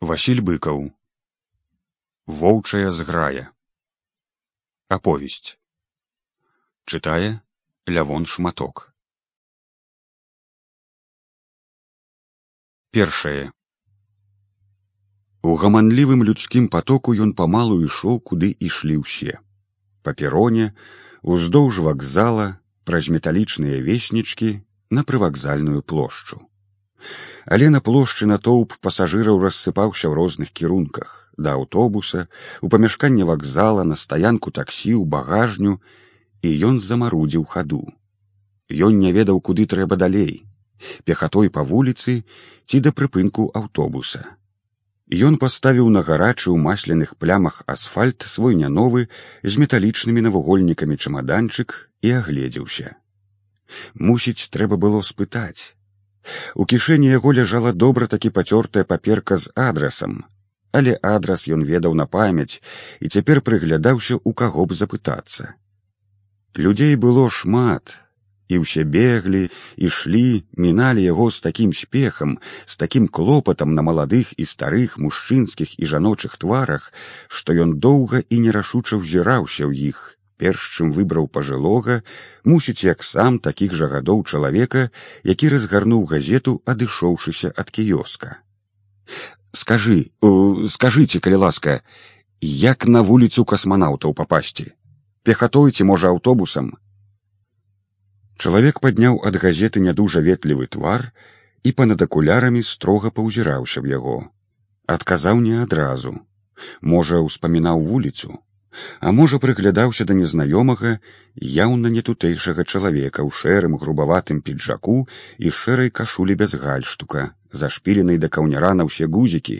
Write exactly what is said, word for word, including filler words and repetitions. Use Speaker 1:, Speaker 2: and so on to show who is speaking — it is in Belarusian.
Speaker 1: Васіль Быкаў. Воўчая зграя. Аповесць. Чытае Лявон Шматок. Першае. У гаманлівым людскім патоку ён памалу ішоў, куды ішлі ўсе. Па пероне, уздоўж вакзала, праз металічныя веснічкі на прывакзальную плошчу. Але на плошчы натоўп пасажыраў рассыпаўся ў розных кірунках: да аўтобуса, у памяшканне вакзала, на стаянку таксі, у багажню, і ён замарудзіў хаду. Ён не ведаў, куды трэба далей: пехатой па вуліцы ці да прыпынку аўтобуса. Ён паставіў на гарачы ў масляных плямах асфальт свой няновы з металічнымі навугольнікамі чамаданчык і агледзеўся. Мусіць, трэба было спытаць. У кішэні яго ляжала добра такі пацёртая паперка з адрасам, але адрас ён ведаў на памяць і цяпер прыглядаўся, у каго б запытацца. Людзей было шмат, і ўсе беглі, ішлі, міналі яго з такім спехам, з такім клопатам на маладых і старых, мужчынскіх і жаночых тварах, што ён доўга і нерашуча ўзіраўся ў іх, перш чым выбраў пажылога, мусіць, як сам, такіх жа гадоў чалавека, які разгарнуў газету, адышоўшыся ад кіёска. Скажы, о, скажыце, калі ласка, як на вуліцу касманаўтаў папасці? Пехатой ці, можа, аўтобусам? Чалавек падняў ад газеты нядужа ветлівы твар і па-над акулярамі строга паўзіраўся ў яго. Адказаў не адразу. Можа, успамінаў вуліцу, а можа, прыглядаўся да незнаёмага, яўна нетутэйшага чалавека ў шэрым грубаватым піджаку і шэрай кашулі без гальштука, зашпіленай да каўняра на ўсе гузікі,